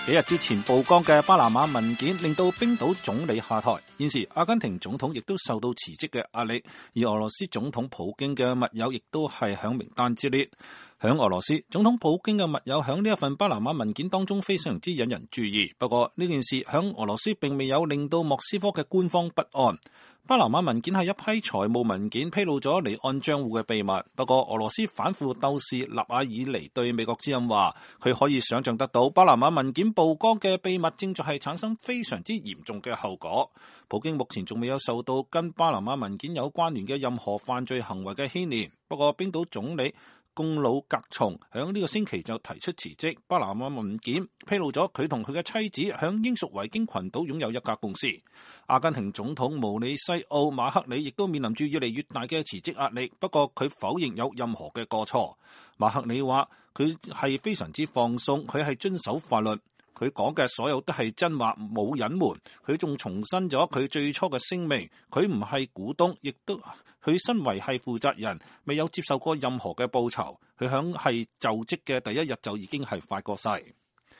幾日之前曝光嘅巴拿馬文件令到冰島總理下台，現時阿根廷總統亦都受到辭職嘅壓力，而俄羅斯總統普京嘅密友亦都係響名單之列。響俄羅斯，總統普京嘅密友響呢一份巴拿馬文件當中非常之引人注意。不過呢件事響俄羅斯並未有令到莫斯科嘅官方不安。巴拿馬文件係一批財務文件，披露咗離岸賬戶嘅秘密。不過俄羅斯反腐鬥士納瓦爾尼對美國之音話，佢可以想象得到巴拿馬文件曝光嘅秘密正在係產生非常之嚴重嘅後果。普京目前仲未有受到跟巴拿馬文件有關聯嘅任何犯罪行為嘅牽連。不過冰島總理貢魯格松響呢個星期就提出辭職。巴拿馬文件披露咗佢同佢嘅妻子響英屬維京群島擁有一家公司。阿根廷總統毛里西奧馬克里亦都面臨住越嚟越大嘅辭職壓力，不過佢否認有任何嘅過錯。馬克里話佢係非常之放鬆，佢係遵守法律，佢講嘅所有都係真話，冇隱瞞。佢仲重申咗佢最初嘅聲明，佢唔係股東，亦都佢身為係負責人，未有接受過任何嘅報酬。佢響係就職嘅第一日就已經係發過誓。